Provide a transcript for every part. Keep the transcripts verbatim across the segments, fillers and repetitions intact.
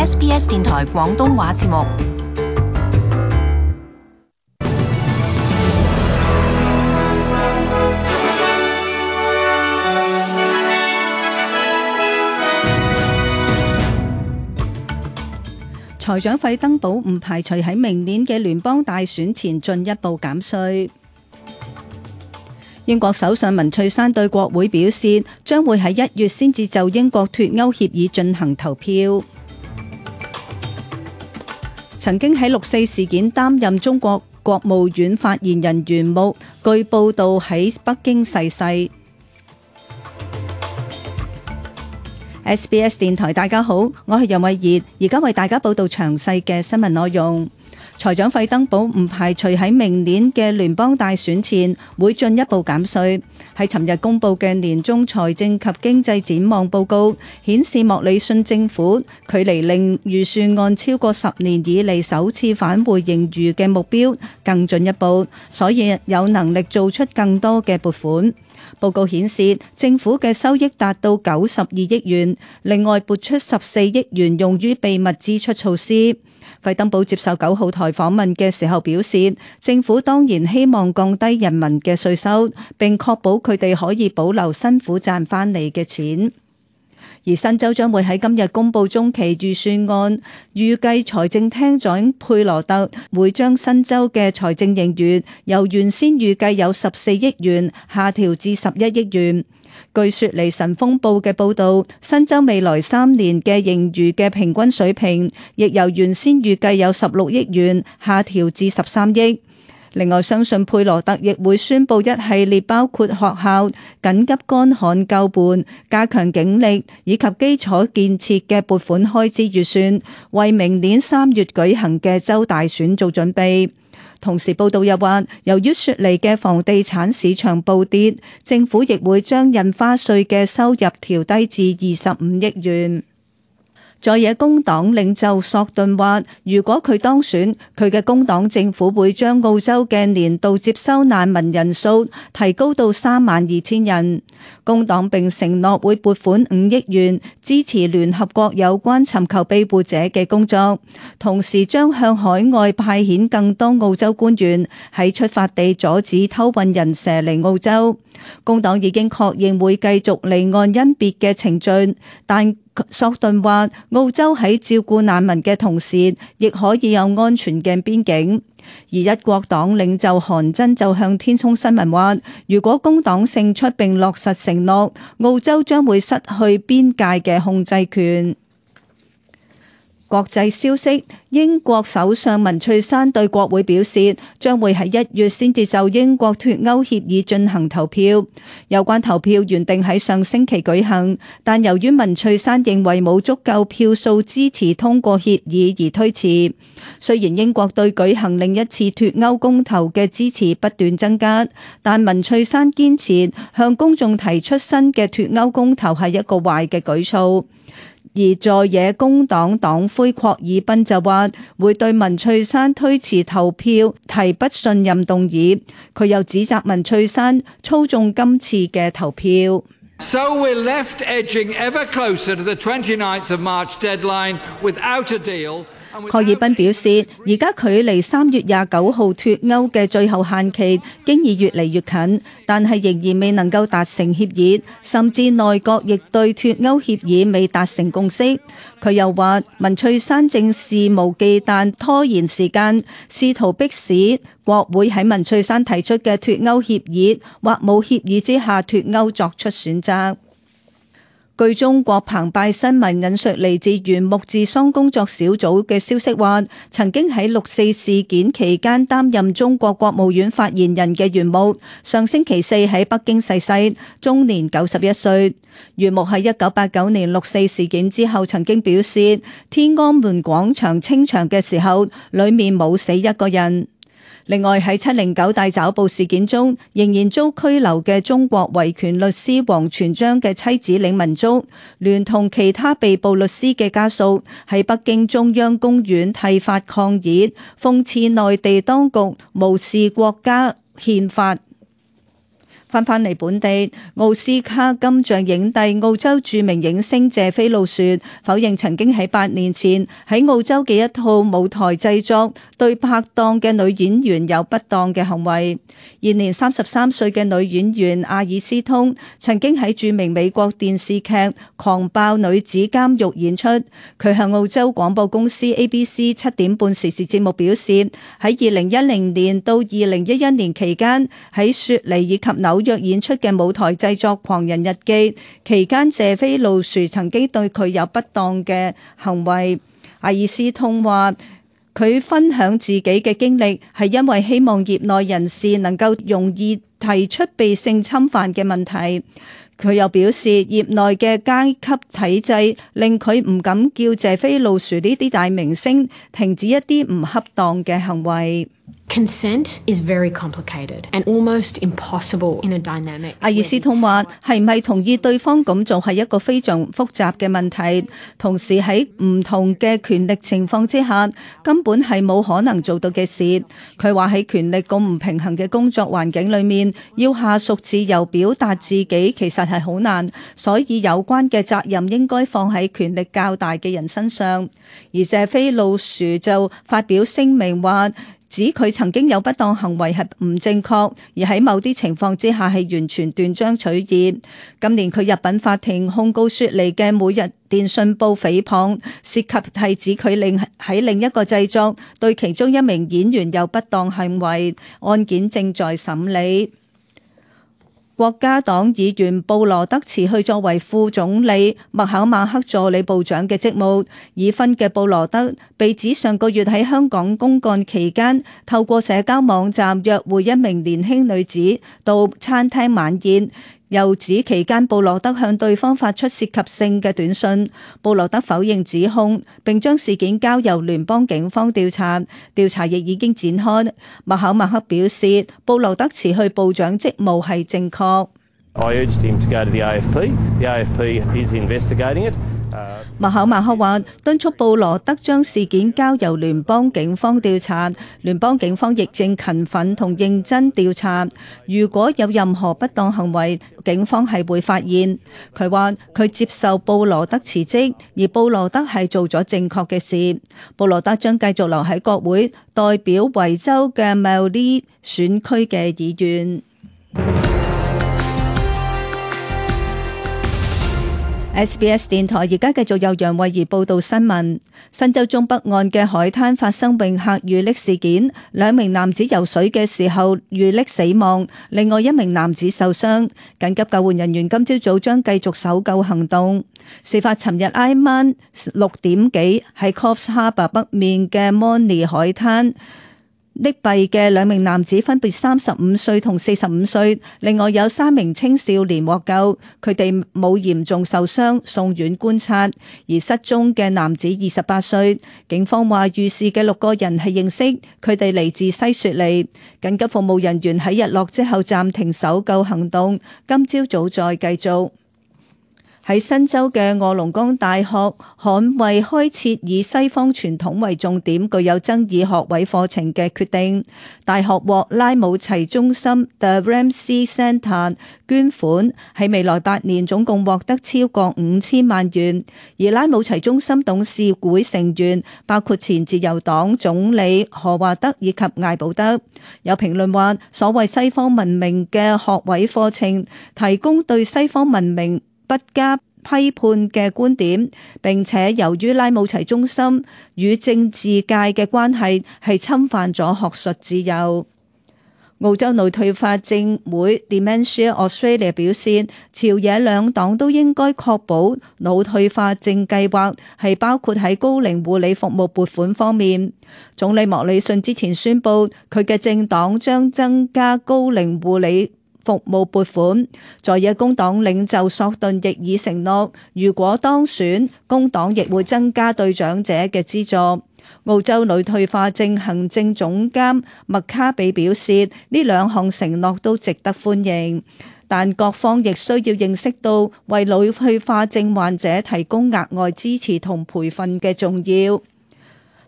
S B S 電台廣東話節目。財長費登堡唔排除喺明年嘅聯邦大選前進一步減稅。英國首相文翠珊對國會表示，將會喺一月先至就英國脫歐協議進行投票。曾經喺六四事件擔任中國國務院發言人袁木，據報道喺北京逝世。S B S 電台大家好，我係楊慧儀，而家為大家報道詳細嘅新聞內容。財長費登堡唔排除喺明年嘅聯邦大選前會進一步減稅。喺尋日公布嘅年中財政及經濟展望報告顯示，莫里遜政府距離令預算案超過十年以嚟首次返回盈餘嘅目標更進一步，所以有能力做出更多嘅撥款。報告顯示，政府嘅收益達到九十二億元，另外撥出十四億元用於秘密支出措施。費登堡接受九號台訪問嘅時候表示，政府當然希望降低人民嘅稅收，並確保佢哋可以保留辛苦賺返嚟嘅錢。而新州將會喺今日公布中期預算案，預計財政廳長佩羅特會將新州嘅財政盈餘由原先預計有十四億元下調至十一億元。據雪梨晨鋒報嘅報導，新州未來三年嘅盈餘嘅平均水平亦由原先預計有十六億元下調至十三億。另外，相信佩羅特亦會宣布一系列包括學校、緊急乾旱救援、加強警力以及基礎建設嘅撥款開支預算，為明年三月舉行嘅州大選做準備。同時報道又話，由於雪梨嘅房地產市場暴跌，政府亦會將印花稅嘅收入調低至二十五億元。在野工黨領袖索頓話，如果佢當選，佢嘅工黨政府會將澳洲嘅年度接收難民人數提高到三萬二千人。工黨並承諾會撥款五億元支持聯合國有關尋求庇護者嘅工作，同時將向海外派遣更多澳洲官員喺出發地阻止偷運人蛇嚟澳洲。工黨已經確認會繼續離岸甄別嘅程序，但索頓話澳洲喺照顧難民嘅同時，亦可以有安全嘅邊境。而一國黨領袖韓真就向天空新聞話，如果工黨勝出並落實承諾，澳洲將會失去邊界嘅控制權。國際消息，英國首相文翠珊對國會表示，將會喺一月先至就英國脫歐協議進行投票。有關投票原定喺上星期舉行，但由於文翠珊認為冇足夠票數支持通過協議而推遲。雖然英國對舉行另一次脫歐公投嘅支持不斷增加，但文翠珊堅持向公眾提出新嘅脫歐公投係一個壞嘅舉措。而在野工黨黨魁霍爾賓就話會對文翠珊推遲投票提不信任動議，佢又指責文翠珊操縱今次嘅投票。So we're left edging ever closer to the twenty-ninth of March deadline without a deal. 霍爾賓表示，而家距離三月廿九號脫歐嘅最後限期經已越嚟越近，但係仍然未能夠達成協議，甚至內閣亦對脫歐協議未達成共識。佢又話，文翠珊正肆無忌憚拖延時間，試圖迫使國會喺文翠珊提出嘅脫歐協議或冇協議之下脫歐作出選擇。據中國澎湃新聞引述嚟自原木治喪工作小組嘅消息話，曾經喺六四事件期間擔任中國國務院發言人嘅袁木，上星期四喺北京逝世，終年九十一歲。袁木喺一九八九年六四事件之後曾經表示，天安門廣場清場嘅時候，裡面冇死一個人。另外喺七零九大抓捕事件中仍然遭拘留嘅中國維權律師王全璋嘅妻子李文足，聯同其他被捕律師嘅家屬喺北京中央公園剃髮抗議，諷刺內地當局無視國家憲法。翻返嚟本地，奧斯卡金像影帝澳洲著名影星謝菲路雪否認曾經喺八年前喺澳洲嘅一套舞台製作對拍檔嘅女演員有不當嘅行為。現年三十三歲嘅女演員阿爾斯通曾經喺著名美國電視劇《狂爆女子監獄》演出。佢向澳洲廣播公司 A B C 七點半時事節目表示，喺二零一零年到二零一一年期間喺雪梨以及紐約約演出嘅舞台製作《狂人日記》期間，謝菲路殊曾經對佢有不當嘅行為。阿爾斯通話，佢分享自己嘅經歷係因為希望業內人士能夠容易提出被性侵犯嘅問題。佢又表示，業內嘅階級體制令佢唔敢叫謝菲路殊呢啲大明星停止一啲唔恰當嘅行為。Consent is very complicated and almost impossible in a dynamic. 阿爾斯通話，係唔係同意對方咁做係一個非常複雜嘅問題，同時喺唔同嘅權力情況之下，根本係冇可能做到嘅事。佢話喺權力咁唔平衡嘅工作環境裏面，要下屬自由表達自己其實係好難，所以有關嘅責任應該放喺權力較大嘅人身上。而謝菲路殊就發表聲明話，指佢曾經有不當行為係唔正確，而喺某啲情況之下係完全斷章取義。今年佢入稟法庭控告雪梨嘅每日電訊報誹謗，涉及係指佢另喺另一個製作對其中一名演員有不當行為，案件正在審理。國家黨議員布羅德辭去作為副總理麥考馬克助理部長嘅職務。已婚嘅布羅德被指上個月喺香港公幹期間，透過社交網站約會一名年輕女子到餐廳晚宴。又指期間布羅德向對方發出涉及性嘅短信。布羅德否認指控，並將事件交由聯邦警方調查，調查亦已經展開。麥考馬克表示，布羅德辭去部長職務係正確。I urged him to go to the A F P. The A F P is investigating it. 麥考馬克話，敦促布羅德將事件交由聯邦警方調查，聯邦警方亦正勤奮同認真調查。如果有任何不當行為，警方係會發現。佢話佢接受布羅德辭職，而布羅德係做咗正確嘅事。布羅德將繼續留喺國會，代表維州嘅 Mallee 選區嘅議員。S B S 電台而家繼續由楊慧儀報道新聞。新州中北岸嘅海灘發生泳客遇溺事件，兩名男子游水嘅時候遇溺死亡，另外一名男子受傷。緊急救援人員今朝早將繼續搜救行動。事發尋日挨晚六點幾喺 Coffs Harbour 北面嘅 Mornie 海灘。溺斃嘅兩名男子分別三十五歲同四十五歲，另外有三名青少年獲救，佢哋冇嚴重受傷，送院觀察。而失蹤嘅男子二十八歲，警方話遇事嘅六個人係認識，佢哋嚟自西雪梨。緊急服務人員喺日落之後暫停搜救行動，今朝早再繼續。喺新州嘅臥龍崗大學捍衛開設以西方傳統為重點、具有爭議學位課程嘅決定。大學獲拉姆齊中心 The Ramsay Centre 捐款，喺未來八年總共獲得超過五千萬元。而拉姆齊中心董事會成員包括前自由黨總理何華德以及艾保德。有評論話，所謂西方文明嘅學位課程提供對西方文明不加批判嘅觀點，並且由於拉姆齊中心與政治界嘅關係係侵犯咗學術自由。澳洲腦退化症會 Dementia Australia 表示，朝野兩黨都應該確保腦退化症計劃係包括喺高齡護理服務撥款方面。總理莫里遜之前宣布，佢嘅政黨將增加高齡護理服務撥款。在野工黨領袖索頓亦已承諾，如果當選，工黨亦會增加對長者嘅資助。澳洲腦退化症行政總監麥卡比表示，呢兩項承諾都值得歡迎，但各方亦需要認識到為腦退化症患者提供額外支持同培訓嘅重要。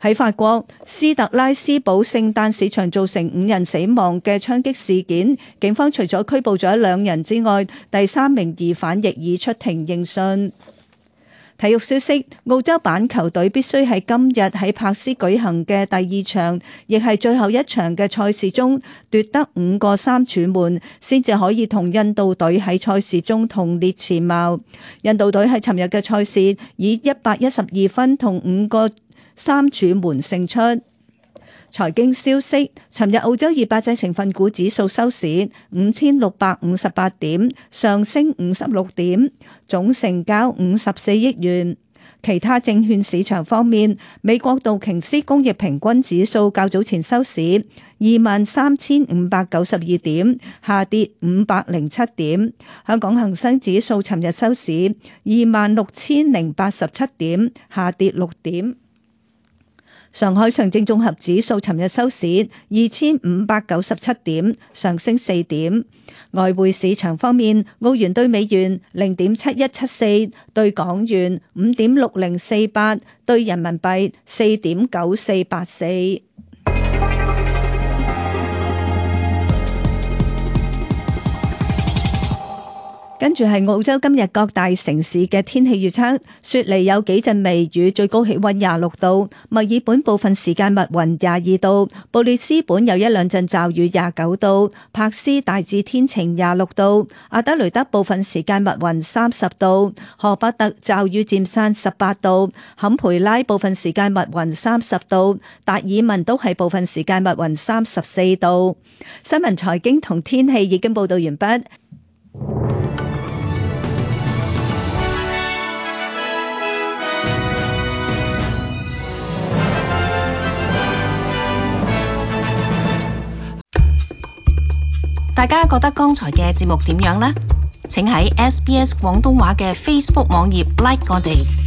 喺法國斯特拉斯堡聖誕市場造成五人死亡嘅槍擊事件，警方除咗拘捕咗兩人之外，第三名疑犯亦已出庭應訊。體育消息，澳洲板球隊必須喺今日喺柏斯舉行嘅第二場，亦係最後一場嘅賽事中奪得五個三柱門，先至可以同印度隊喺賽事中同列前茅。印度隊喺尋日嘅賽事以一百一十二分同五個三柱門勝出。財經消息，尋日澳洲二百隻成分股指數收市五千六百五十八點，上升五十六點，總成交五十四億元。其他證券市場方面，美國道瓊斯工業平均指數較早前收市二萬三千五百九十二點，下跌五百零七點。香港恒生指數尋日收市二萬六千零八十七點，下跌六點。上海上證綜合指數尋日收市二千五百九十七點，上升四點。外匯市場方面，澳元兌美元零點七一七四，兌港元五點六零四八，兌人民幣四點九四八四。跟住係澳洲今日各大城市嘅天氣預測，雪梨有幾陣微雨，最高氣溫廿六度；墨爾本部分時間密雲廿二度；布里斯本有一兩陣驟雨廿九度；柏斯大致天晴廿六度；阿德雷德部分時間密雲三十度；荷伯特驟雨漸散十八度；坎培拉部分時間密雲三十度；達爾文都係部分時間密雲三十四度。新聞財經同天氣已經報道完畢。大家覺得剛才嘅節目點樣呢？請喺 S B S 廣東話嘅 Facebook 網頁 like 我哋。